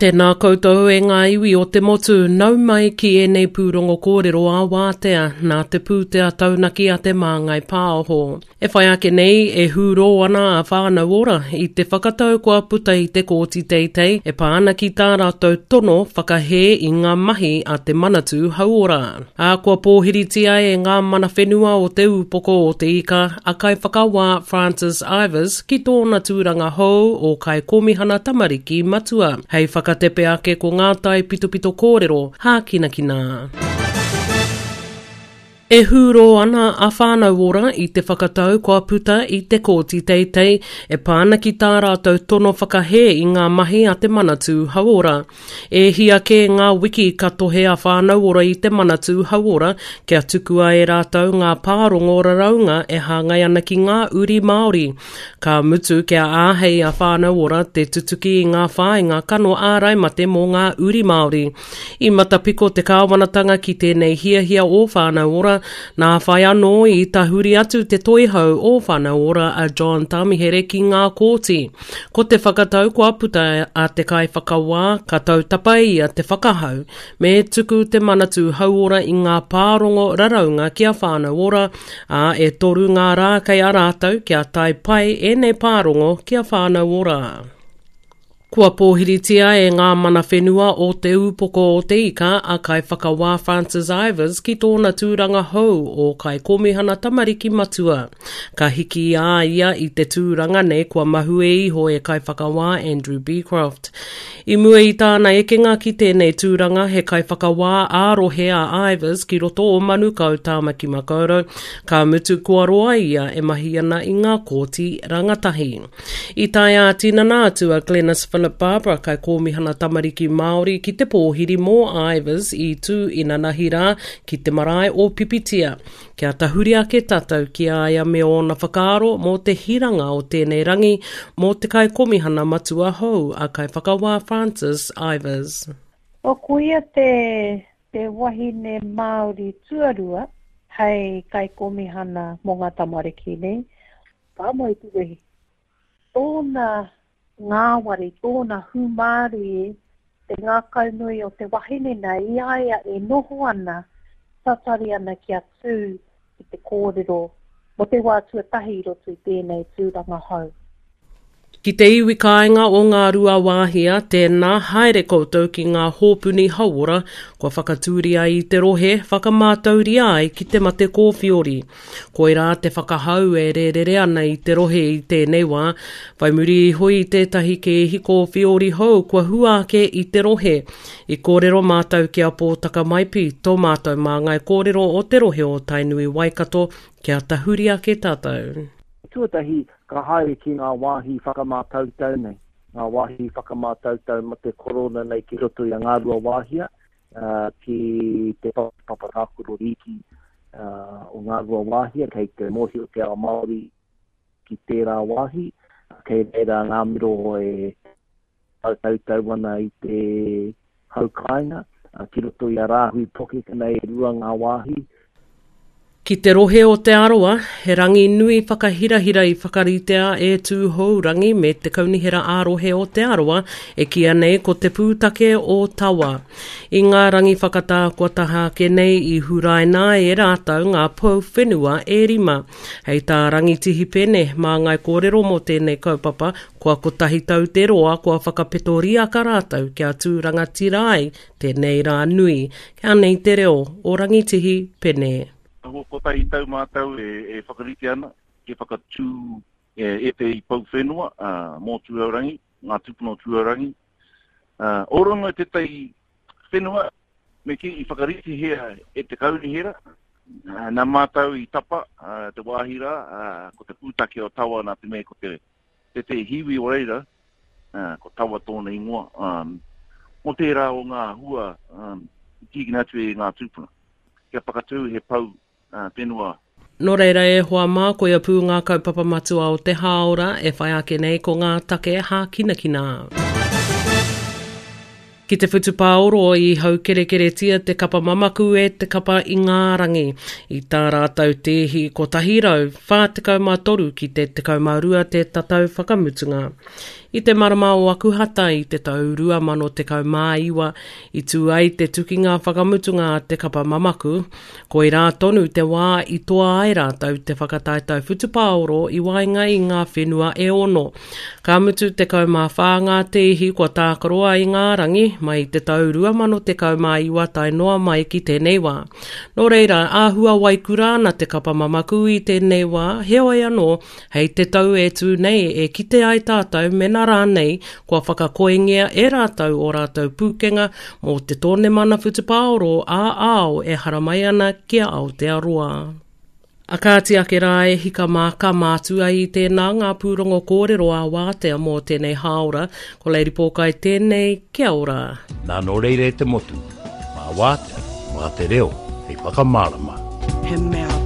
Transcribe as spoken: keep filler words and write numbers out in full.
Tēnā koutou e ngā iwi o te motu, nau mai ki ēnei pūrongo kōrero a wātea, nā te pūtea taunaki a te Māngai Pāho. E whai ake nei, e hūrō ana a Whānau Ora i te whakatau kua puta i te kōti teitei e pā ana ki tā rātou tono whakahē i ngā mahi a te Manatū Hauora. Ā, kua pōhiritia e ngā mana whenua o te ūpoko o te ika a Kaiwhakawā Francis Ivers ki tōna tūranga hou o Kaikōmihana Tamariki Matua. Hei whakatepe ake ko ngā tai pitopito kōrero hākinakina. E hūrō ana a Whānau Ora i te whakatau kua puta i te kōti teitei e pā ana ki tā rātou tono whakahē i ngā mahi a te Manatū Hauora. E hia kē ngā wiki ka tohe a Whānau Ora i te Manatū Hauora kia tukua e rātou ngā pārongo raraunga e hāngai ana ki ngā uri Māori. Ka mutu kia āhei a Whānau Ora te tutuki i ngā whāinga kano ārai mate mō ngā uri Māori. I matapiko te kāwanatanga ki tēnei hiahia o Whānau Ora, nā whai anō i tahuri atu te toihau o Whānau Ora a John Tamihere ki ngā kōti. Ko te whakatau kua puta a te kaiwhakawā ka tautapa ia te whakahau, me tuku te Manatū Hauora i ngā pārongo raraunga ki a Whānau Ora, ā, e toru ngā rā kei a rātou kia tae pai ēnei pārongo ki a Whānau Ora. Kua pōhiritia e ngā mana whenua o te ūpoko o te ika a Kaiwhakawā Francis Ivers ki tōna tūranga hou o Kaikōmihana Tamariki Matua. Ka hiki a ia i te tūranga nei kua mahue iho e Kaiwhakawā Andrew Becroft. I mua i tāna ekenga ki tēnei tūranga he kaiwhakawā ā-rohe a Ivers ki roto o Manukau Tāmaki Makaurau, ka mutu kua roa ia e mahi ana i ngā kōti rangatahi. I tae ā-tinana atu a Glenys Philip Barbara Kaikōmihana Tamariki Māori ki te pōhiri mō Ivers i tū inanahi rā ki te marae o Pipitia. Kia tahuri ake tātou ki a ia me ōna whakaaro mō te hiranga o tēnei rangi mō te Kaikōmihana Matua hou a Kaiwhakawā Francis Ivers. O koia te, te wahine Māori tuarua hei Kaikōmihana mō ngā tamariki nei. Pāmoi te wehi. Tōna ngāwari, tōna hūmārie, te ngākaunui o te wahine nei, i a ia e noho ana, tatari ana kia tū ki te kōrero mō te wā tuatahi i roto i tēnei tūranga hou. Ki te iwi kāinga o Ngāruawāhia, tēnā haere koutou ki ngā hōpuni hauora kua whakatūria i te rohe, whakamātauria ai ki te mate kōwhiori. Koirā te whakahau e rērere ana i te rohe i tēnei wā, whai muri iho i tētahi kēhi kōwhiori hou kua hua ake i te rohe. I kōrero mātou ki a Pōtaka Maipi, tō mātou māngai kōrero o te rohe o Tainui Waikato, kia tahuri ake tātou. Tuatahi, ka haere ki ngā wāhi whakamātautau nei, ngā wāhi whakamātautau ma te korona nei ki roto i a Ngāruawāhia, uh, ki te papa tākaro rīki uh, o Ngāruawāhia, kei te mōhio te ao Māori ki tērā wāhi, kei reira ngā miro e tautau ana i te hau kāinga, uh, ki roto i a Rāhui Pokeka nei e rua ngā wāhi. Ki te rohe o Te Arawa, he rangi nui whakahirahira i whakaritea e Tūhourangi me te Kaunihera ā-rohe o Te Arawa e kīia nei ko te pūtake o Tawa. I ngā rangi whakatā kua taha ake nei i huraina ai e rātou ngā pou whenua e rima. Hei tā Rangitihi Pene, māngai kōrero mō tēnei kaupapa, kua kotahi tau te roa kua whakapetoriaka rātou kia tū rangatira ai tēnei rā nui. Kia nei te reo o Rangitihi Pene. Kua kotahi tau mātou e, e whakarite ana, ke whakatū e, e te i pou whenua, uh, mō Tūhourangi, ngā tūpuna o Tūhourangi. Uh, o runga i tētahi whenua, me ki i whakaritihia e te kaunihera, uh, nā mātou i tapa uh, te wāhi rā, uh, ko te pūtake o Tawa nā te mea ko te, te te hiwi o reira, uh, ko Tawa tōna ingoa, um, mō tērā o ngā hua um, i tīkina atu e ngā tūpuna. Kia whakatū he pou uh, whenua. Nō reira e hoa mā, koia pū ngā kaupapa matua o te hāora e whai ake nei ko ngā take hākinakina. Ki te whutupāoro i haukerekeretia te kapa mamaku e te kapa Ingarangi i tā rātou tēhi kotahi rau whā tekau mā toru ki te tekau mā rua te tatau whakamutunga. I te marama o Akuhata i te tau rua mano tekau mā iwa i tū ai te tukinga whakamutunga a te kapa mamaku, koirā tonu te wā i toa ai rātou te whakataetae whutupāoro i waenga i ngā whenua e ono. Ka mutu tekau mā whā ngā tēhi kua tākaroa i ngā rangi mai te tau rua mano tekau mā iwa tae noa mai ki tēnei wā. Nō reira, āhua waikura ana te kapa mamaku i tēnei wā, heoi anō, hei te tau e tū nei e kite ai tātou mena rānei kua whakakoengia e rātou o rātou pūkenga mō te tōnemana whutupāoro ā-ao e haramai ana ki a Aotearoa. A kāti ake rā e hika mā ka mātua i tēnā ngā pūrongo kōrero a wātea mō tēnei hāora, ko Lady Pōkai tēnei, kia ora. Nā nō reira e te motu, mā wātea, mā te reo, hei whakamārama. He mea